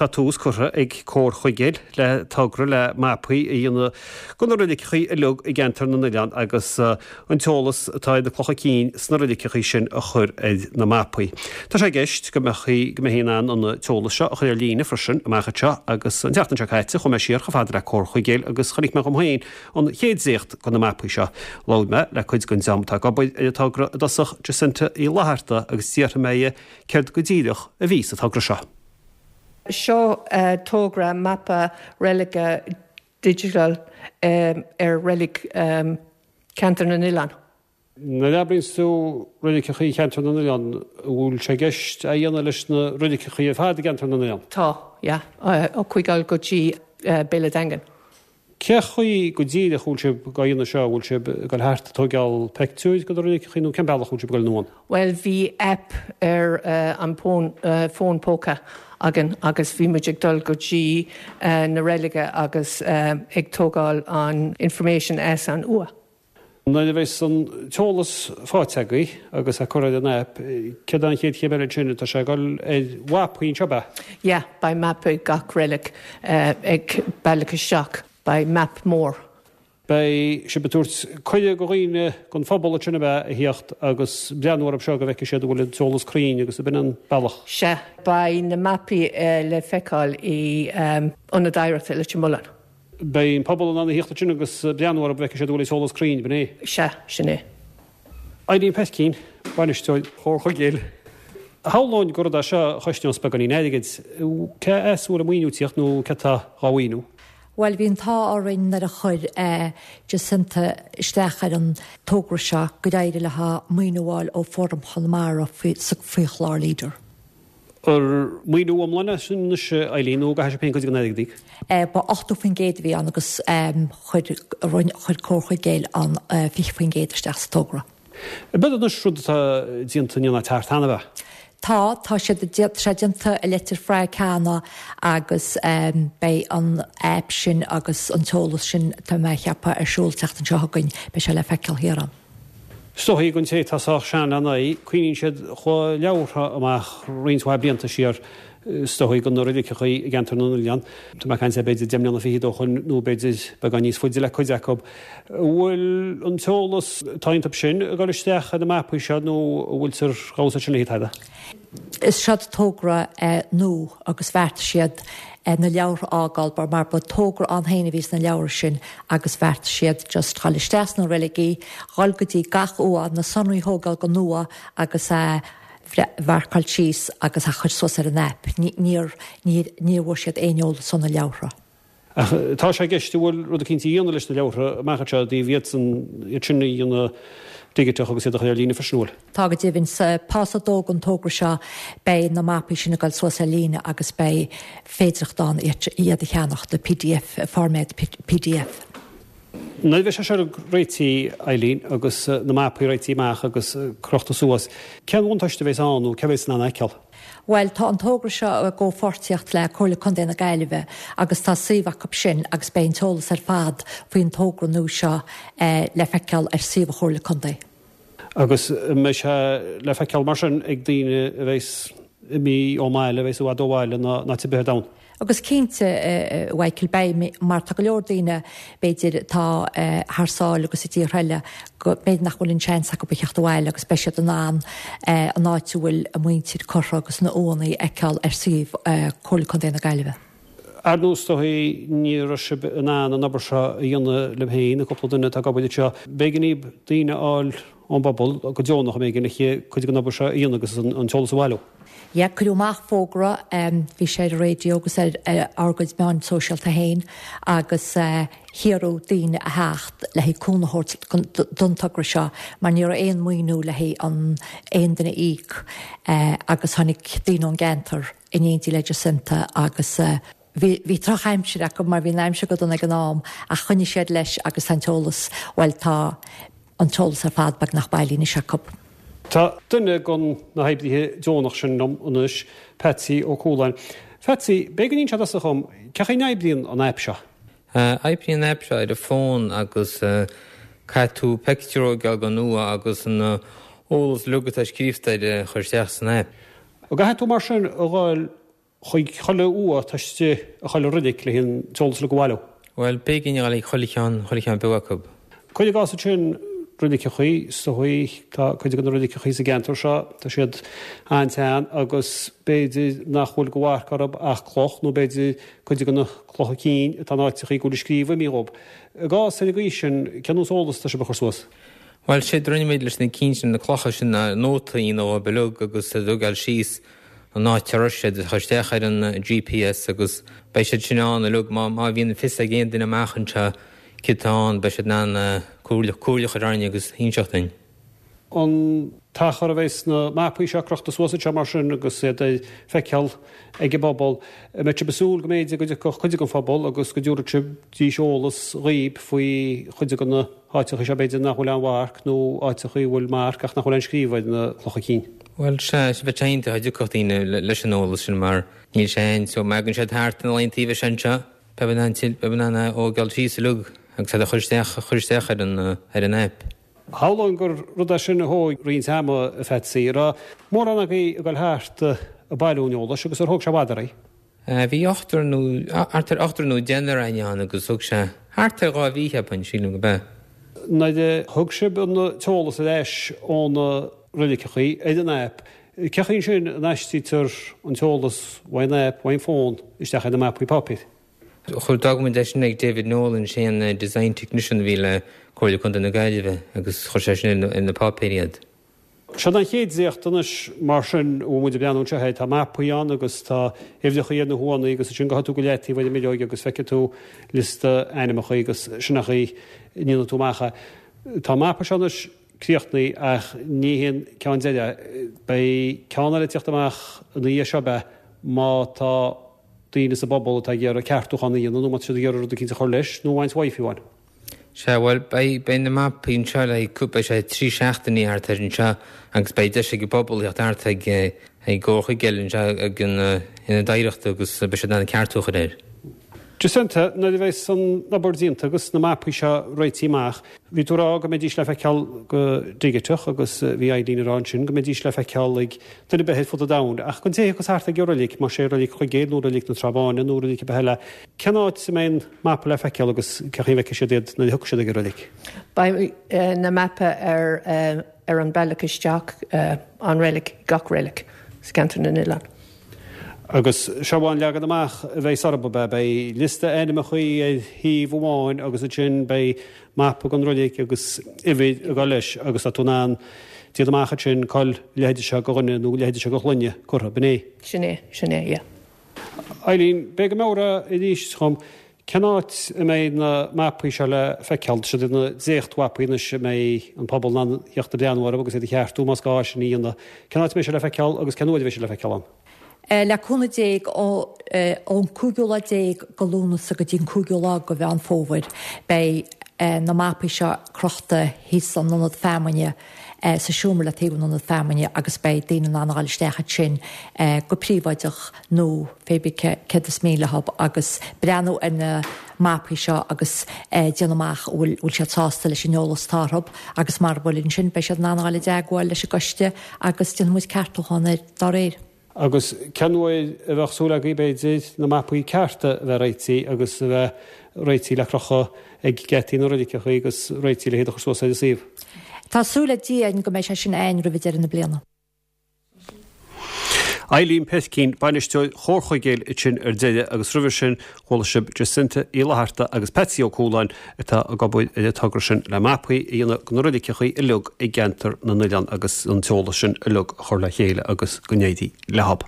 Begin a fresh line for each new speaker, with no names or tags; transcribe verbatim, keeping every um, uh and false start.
Tá tús curtha ag Comhar Chuigéil le togra le mapaí a dhéanamh de na reiligeachaí uilig i gceantar na n-oileán agus an t-eolas atá ar na clocha cinn sna reiligeachaí sin a chur ar na mapaí. Tá sé i gceist go mbeidh go mbeifí in ann an t-eolas seo a chur ar líne freisin amach anseo agus an tseachtain seo caite chuaigh mé siar chomh fada le Comhar Chuigéil agus chonaic mé dhom féin an chéad dréacht de na mapaí seo. Labhair mé le cuid den dream atá ag obair ar an togra i dtosach Jacinta Uí Fhlatharta agus d'fhiafraigh mé dhi céard go díreach a bhí sa togra seo.
Seo uh, togra mapa reilige digital um, ar reilig um, Ceantar na nOileán.
Nuair a abraíonn tú reiligeachaí Cheantar na nOileán, bhfuil sé i gceist a dhéanamh leis na reiligeachaí ar fad i gCeantar na nOileán?
Tá, yeah, uh, ó Chuigéal go dtí uh, Béal an Daingin.
Cé chaoi go díreach bhfuil sibh ag déanamh seo bhfuil sibh ag dul thart ag tógáil pictiúir de na reiligeachaí nó cén bealach bhfuil sibh ag dul anonn?
Well bhí app ar uh, an fón, uh, fón póca againn agus bhí muid ag dul go dtí uh, na reilige agus uh, ag tógáil an information as an uaigh.
Nuair a bheas an t-eolas faighte agaibh agus a chur ar an app, céard an chéad chéim eile sin tá sé ag dul ar mhapaí anseo ab ea?
Yeah, beidh mapa gach reilig uh, ag bealach isteach, beidh map mór.
Beidh sibh ag tabhairt cuireadh do dhaoine den phobal sin a bheith ag teacht agus breathnú orthu seo go bhfeicfidh siad bhfuil an t-eolas cruinn agus ab in an bealach.
Sea, beidh na mapaí uh, le feiceáil i um, Ionad Oidhreachta Leitir Mealláin.
Beidh an pobal in ann a theacht sin agus breathnú orthu go bhfeicfidh siad bhfuil an t-eolas cruinn b'in é.
Sea, sin é.
Eileen Petkeen, bainisteoir Chomhar Chuigéil. Shamhlóinn gur rud é seo a chosnós beagáinín airgid, cé as a bhfuil an maoiniú ag tíocht nó cé atá á mhaoiniú?
Well bhí an t-ádh orainn nuair a chuir eh, Jacinta isteach ar an togra seo go d'éirigh léi maoiniú a fháil ó Fóram Chonamara faoi faoi chlár Leader.
Ar maoiniú iomlán sin anois Eileen nó caithfidh sibh féin cuid den airgead a íoc?
Eh, ba ochtó faoin gcéad a bhí ann agus um, chuir chuir Comhar Chuigéil an uh, fiche faoin gcéad isteach sa togra.
B'fhéidir anois rud atá déanta ní teart cheana bheith.
Tá tá sé sé déanta i Leitir Fraic cheana agus um, beidh an app sin agus an t-eolas sin tá mé ag ceapadh ar siúl an tseachtain seo chugainn beidh sé le feiceáil thiar ann.
Is dóigh don té atá sách sean lena aghaidh, cuimhníonn siad chuaigh leabhartha amach roinnt mhaith blianta siar is dóigh de na reiligeachaí i gceantar na n-oileán. Tá mé ag caint b'fhéidir deich mbliana fichead ó shin nó b'fhéidir beagán níos faide le cuid acu. Bhfuil an t-eolas atá iontu sin ag dul isteach ar na mapaí seo nó bhfuiltear gabhsa sin le tada?
Is seod togra eh, nua agus bheartaigh siad eh, na leabhartha a fhágáil mar ba togra ann féin a bhí sna leabhartha sin agus bheartaigh siad just dul isteach sna reiligí, dul go dtí gach uaigh na sonraí a thógáil go nua agus eh, mharcáil síos agus a chur suas ar an app. Níor níor bhfuair siad aon eolas ó na leabhartha.
Ach tá sé i gceist bhfuil rud eicínt a dhéanamh leis na leabhartha amach anseo díobh iadsan iad sin a dhéanamh digiteach agus iad a chur ar líne freisin bhfuil.
Tá go deimhin sa pháosa dó den togra seo beidh na mapaí sin ag dul suas ar líne agus beidh féidearthacht ann iad a cheannach de PDF format PDF.
Nuair a bheidh sé seo réitithe Eileen agus na mapaí réitithe amach agus crochta suas, cén bhuntáiste a bheas ann nó cé bheas in ann a fheiceáil?
Well tá an togra seo i gcomhpháirtíocht le Comhairle Contae na Gaillimhe agus tá suíomh acu sin agus beidh an t-eolas ar fad faoin togra nua seo eh, le feiceáil ar suíomh Chomhairle Contae.
Agus mbeidh sé le feiceáil mar sin ag daoine a bheas imithe ón mbaile a bheas i bhfad ó bhaile ná ná te bith ann.
Agus cinnte uh, Michael beidh mar tá go leor daoine b'fhéidir tá uh, thar sáile agus i dtíortha eile go b'fhéidir nach bhfuil an seans acu a theacht abhaile agus beidh siad in ann uh, an áit a bhfuil a muintir curtha agus na uaigheanna a fheiceáil ar suíomh uh, Comhairle Contae na Gaillimhe.
Ar ndóigh dóigh ní raibh sibh in ann an obair seo a dhéanamh libh féin, cúpla duine atá ag obair seo. B'éigean daoibh daoine a fháil ón bpobal go deonach am éigin le cuid den obair seo a dhéanamh agus an t-eolas a bhailiú.
Ja, cuireadh amach fógra um, bhí sé ar raidió agus ar ár gcuid meán sóisialta féin agus uh, hiarradh daoine a theacht le haghaidh cúnamh a thabhairt don togra seo mar ní raibh aon mhaoiniú le haghaidh an aon duine a íoc uh, agus tháinig daoine ón gceantar in éindí le Jacinta agus uh, Bhí bhí drochaimsir acu mar bhí an aimsir go dona ag an am ach choinnigh siad leis agus an t-eolas well tá an t-eolas ar fad beagnach bailithe anois acu.
Tá duine de na hoibrithe deonach sin liom anois Patsy Ó Cualáin. Patsy, b'fhéidir go n-inseofá dhom, cén chaoi a n-oibríonn an aip seo?
Oibríonn an aip seo ar an bhfón agus caithfidh tú pictiúr a thógáil den uaigh agus an eolas uilig atá scríofa air a chur isteach san aip.
Ó caithfidh tú mar sin a ghabháil Chuig chuile uaigh atá istigh i chuile reilig le an t-eolas uilig a bhailiú.
Bhuel, b'éigean a ghabháil ag chuile cheann, chuile cheann beag acu.
Cuir i gcás ansin reiligeachaí, is dóigh, tá cuid de na reiligeachaí sa gceantar seo, tá siad an-tsean agus b'fhéidir nach bhfuil de mharc orthu ach cloch nó b'fhéidir cuid de na clocha cinn atá in áiteachaí go bhfuil scríobh imithe dhób. I gcás ar an gcaoi sin, cén nós eolas atá sibh a chur suas?
Bhuel, séard a rinne muid leis na cinn sin, na clocha sin, ná nóta a dhéanamh dhóibh uilig agus a thógáil síos an áit a raibh siad, a chur isteach ar an GPS agus beidh siad sin ann uilig. Má má bhíonn fios ag aon duine amach anseo céard atá ann, beidh siad in ann comhairle comhairle a chur orainn agus inseacht dúinn.
An t-achar a bheidh na mapaí seo crochta suas anseo mar sin agus iad le feiceáil ag an bpobal, an mbeidh sibh ag súil go mb'fhéidir go dtiocfadh cuid den phobal agus go dtabharfaidís eolas dhaoib faoi chuid de na háiteacha seo b'fhéidir nach bhfuil aon mharc nó áiteacha a bhfuil marc ach nach bhfuil aon scríobh ar na clocha cinn?
Bhuel, sea, bheadh sé iontach dá dtiocfadh daoine leis an eolas sin mar níl sé ann so má thagann siad thart na laethanta a bheidh sé anseo, beidh in ann beidh in ann é a thógáil síos uilig agus iad a chur isteach a chur isteach ar an ar an aip.
Shamhlóinn gur rud é sin a thóg roinnt ama, a Phatsy. An raibh mórán agaibh ag dul thart ag bailiú an eolais agus ar thóg sé i bhfad oraibh?
Bhí ochtar nó thart ar ochtar nó deichniúr againn ann agus thóg sé thart ar dhá mhí, cheapfainn, sílim gurb ea.
Nuair a thug sibh an t-eolas ar ais ó na reiligeachaí ar an aip, cén chaoi ansin a n-aistrítear an t-eolas uaidh an aip, uaidh an fón, isteach ar na mapaí páipéir?
Chuir d'fhág muid é sin ag David Nolan, sé an design technician a bhí le Comhairle Contae na Gaillimhe agus chuir sé sin ar na páipéir iad.
Seo an chéad dréacht anois mar sin a bhfuil muid ag breathnú anseo air. Tá mapaí ann agus tá uimhreacha ar na huaigheanna agus ansin gabhfaidh tú go leataobh ar an mbileog agus feicfidh tú liosta ainmneacha agus sin an chaoi a ndéanfaidh tú amach é. Tá an mapa seo anois críochnaithe ach ní hé an ceann deiridh é. Beidh ceann eile ag teacht amach ina dhiaidh seo ab ea má tá daoine sa bpobal atá ag iarraidh ceartúchán a dhéanamh nó má tá siad ag iarraidh rud eicínt a chur leis nó a bhaint uaidh fiú amháin.
Sea, bhuel, beidh, beidh na mapaí anseo le haghaidh, beidh sé trí seachtainí thart ar anseo agus beidh deis ag an bpobal theacht thart ag, ag Comhar Chuigéil anseo ag an Ionad Oidhreachta agus beidh siad in ann ceartú a chur air.
Jacinta, nuair a bheas an obair déanta agus na mapaí seo réitithe amach, bhí tú ag rá go mbeidís le feiceáil go digiteach agus bhí Eileen ag rá ansin go mbeidís le feiceáil ag duine ar bith ar fud an domhain. Ach don té a thiocfas thart ag an reilig, más é reilig Chuigéil nó reilig na Trá Báine nó reilig ar bith eile, cén áit a mbeidh an mapa le feiceáil agus cén chaoi a bhfeicfidh siad iad nuair a thiocfaidh siad ag an reilig?
Beidh na mapa ar ar an bealach isteach an reilig, gach reilig sa gceantar na nOileán.
Agus seo an leagan amach a bheidh orthu, ab ea? Beidh liosta ainmneachaí ar thaobh amháin agus ansin beidh mapa den reilig agus uimhir ag dul leis agus tá tú in ann déanamh amach ansin cá bhfuil a leithéide seo de dhuine nó a leithéide seo de shloinne curtha, b'in é?
Sin é, sin é, yeah.
Eileen, b'fhéidir go mbeadh arís dhom, cén áit a mbeidh na mapaí seo le feiceáil? Tá siad ina ndréachtmhapaí anois a mbeidh an pobal in ann theacht ag breathnú orthu agus iad a cheartú más gá sin a dhéanamh. Cén áit a mbeidh sé le feiceáil agus cén uair a bheidh sé le feiceáil ann?
Le cúnamh Dé ón cúigiú lá déag go Lúnasa go dtí an cúigiú lá go Mheán Fómhair beidh na mapaí seo crochta thíos san ionad feamainne, sa seomra le taobh an ionad feamainne agus beidh daoine in ann a dhul isteach ansin go príobháideach nó pé bith céard is mian leo agus breathnú ar na mapaí seo agus déanamh amach an bhfuil bhfuil siad sásta leis an eolas atá orthu agus mara bhfuil ansin beidh siad in ann a dhul i dteagmháil leis an gcoiste agus déanfaidh muid ceartúchán air dá réir.
Agus cén uair a bheadh súil agaibh, b'fhéidir, na mapaí cearta a bheith réitithe agus a bheith réitithe le crochadh ag geataí na reiligeacha agus réitithe le hiad a chur suas ar an suíomh?
Tá súil ag Dia againn go mbeidh sé sin againn roimh deireadh na bliana.
Eileen Peircín, Bainisteoir Chomhar Chuigéil ansin ar deireadh agus roimhe sin chuala sibh Jacinta Uí Fhlatharta agus Patsy Ó Cualáin atá ag obair ar an togra sin le mapaí a dhéanamh de na reiligeacha uilig i gceantar na nOileán agus an t-eolas sin uilig a chur le chéile agus go n-éirí leob.